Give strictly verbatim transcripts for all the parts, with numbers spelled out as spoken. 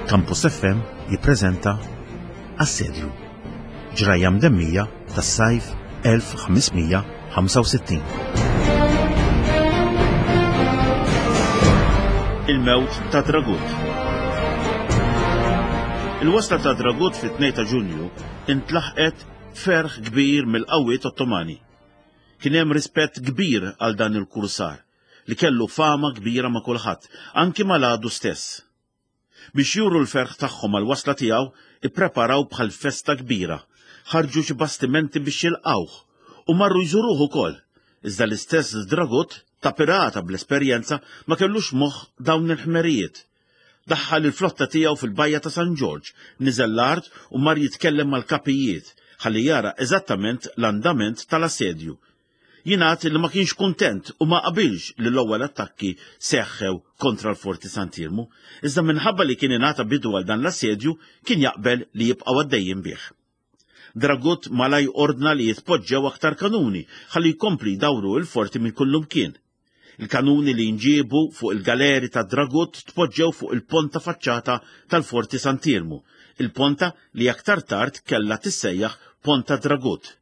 Campus F M jippreżenta Assedju, ġrajja mdemmija tas-sajf elf ħames mija ħamsa u sittin. Il-mewt ta' Dragut. Il-wasla ta' Dragut fit-tnejn ta' Ġunju intlaħqet ferħ kbir mill-qawwiet Ottomani. Kien hemm rispett kbir għal dan il-kursar li kellu fama kbira ma' kulħadd, anki mal-għadu stess. Biex juru l-ferħ tagħhom għal wasla tiegħu, ippreparaw bħal festa kbira, ħarġu xi bastimenti biex jilqawh u marru jżuruh ukoll. Iżda l-istess Dragut, ta' pirata bl-esperjenza, ma kellux moħħ dawn il-ħmerijiet. Daħħal il-flotta tiegħu fil-bajja ta' San Ġorġ, niżel l-art u mar jitkellem mal-kapijiet ħalli jara eżattament l-andament tal-assedju. Jingħad li ma kienx kuntent u ma qabilx li l-ewwel attakki seħħew kontra l-Forti Sant'Iermu, iżda minħabba li kien ingħata bidu għal dan l-assedju kien jaqbel li jibqgħu għaddejjin bih. Dragut malaj ordna li jitpoġġew aktar kanuni ħalli jkompli jdawru l-forti minn kullumkien. Il-kanuni li nġiebu fuq il-galeri ta' Dragut tpoġġew fuq il-ponta faċċata tal-Forti Sant'Iermu, il-ponta li aktar tard kellha tissejjaħ Ponta Dragut.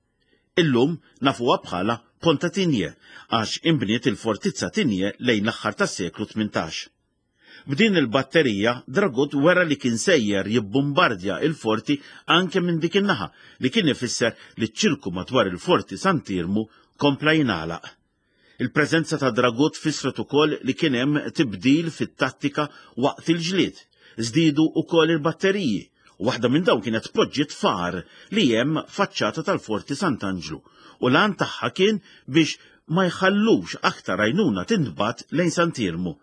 Illum nafuha bħala Ponta Tinje għax inbniet il-fortizza Tinje lejn l-aħħar tas-seklu tmintax. B'din il-batterija Dragut wera li kien sejjer jibbombardja il-forti anke minn dik in-naħa, li kien ifisser li ċ-ċirku madwar il-Forti Sant'Iermu kompla jingħalaq. Il-preżenza ta' Dragut fissret ukoll li kien hemm tibdil fit-tattika waqt il-ġlied. Żdiedu ukoll il-batteriji, u waħda minn dawn kienet poġġiet far li hemm faċċata tal-Forti Sant'Anġlu, u l-għan tagħha kien biex ma jħallux aktar għajnuna tintbagħat lejn Sant'Iermu.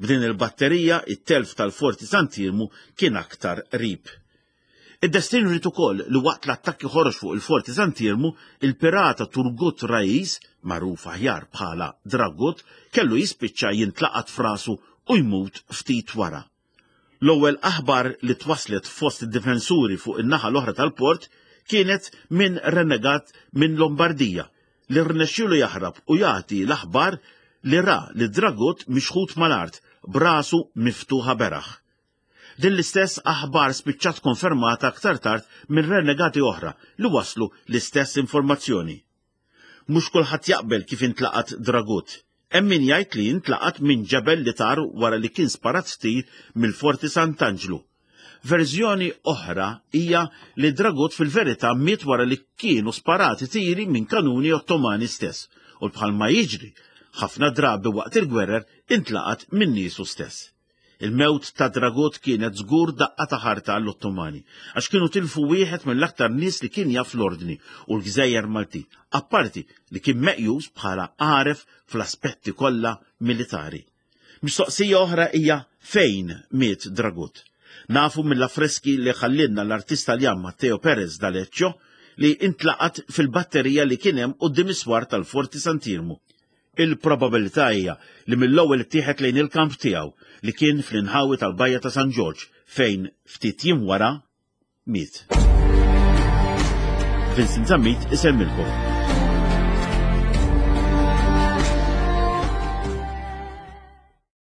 B'din il-batterija it-telf tal-Forti Sant'Iermu kien aktar qrib. Id-destin ried ukoll li waqt l-attakki ħorox fuq il-Forti Sant'Iermu, il-pirata Turgut Rais, magħruf aħjar bħala Dragut, kellu jispiċċa jintlaqat f'rasu u jmut ftit wara. L-ewwel aħbar li twaslet fost id-difensuri fuq in-naħa l-oħra tal-port kienet minn renegat minn Lombardija li rnexxielu jaħrab u jagħti l-aħbar li ra li Dragut mixħut mal-art b'rasu miftuħa beraħ. Din l-istess aħbar spiċċat konfermata aktar tard minn renegati oħra li waslu l-istess informazzjoni. Mhux kulħadd jaqbel kif intlaqat Dragut. Hemm min jgħid li intlaqat minn ġebel li tar wara li kien sparat tir mill-Forti Sant'Anġlu. Verżjoni oħra hija li Dragut fil-verità miet wara li kienu sparati tiri minn kanuni Ottomani stess, u bħalma jiġri ħafna drabi waqt il-gwerer intlaqat minn niesu stess. Il-mewt ta' Dragut kienet żgur daqqa ta' ħarta għall-Ottomani, għax kienu tilfu wieħed mill-aktar nies li kien jaf l-ordni u l-Gżejjer Maltin, apparti li kien meqjus bħala għaref fl-aspetti kollha militari. Mistoqsija oħra hija fejn miet Dragut. Nafu mill-affreski li ħallinna l-artist Taljan Matteo Perez d'Aleccio li intlaqat fil-batterija li kien hemm quddiem is-swar tal-Forti Sant'Iermu. Il-probabilità hija li mill-ewwel ittieħed lejn il-kamp tiegħu li kien fl-inħawi tal-Bajja ta' San Ġorġ fejn ftit jiem wara miet. Vincent Zammit isellmilkom.